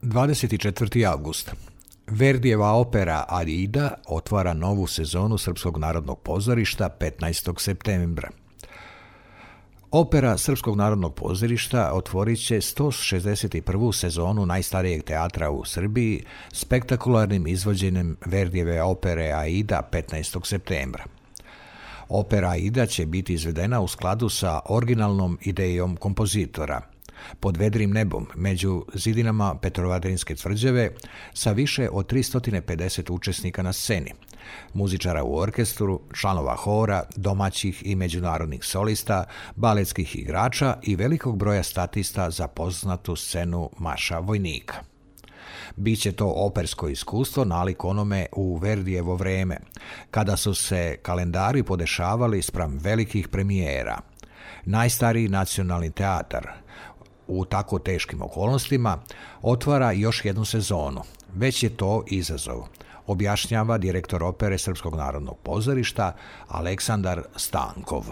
24. avgust. Verdijeva opera Aida otvara novu sezonu Srpskog narodnog pozorišta 15. septembra. Opera Srpskog narodnog pozorišta otvorit će 161. sezonu najstarijeg teatra u Srbiji spektakularnim izvođenjem Verdijeve opere Aida 15. septembra. Opera Aida će biti izvedena u skladu sa originalnom idejom kompozitora, pod vedrim nebom, među zidinama Petrovaradinske tvrđave, sa više od 350 učesnika na sceni, muzičara u orkestru, članova hora, domaćih i međunarodnih solista, baletskih igrača i velikog broja statista za poznatu scenu Marša vojnika. Biće to opersko iskustvo nalik onome u Verdijevo vreme, kada su se kalendari podešavali spram velikih premijera. Najstariji nacionalni teatar u tako teškim okolnostima otvara još jednu sezonu. Već je to izazov, objašnjava direktor opere Srpskog narodnog pozorišta Aleksandar Stankov.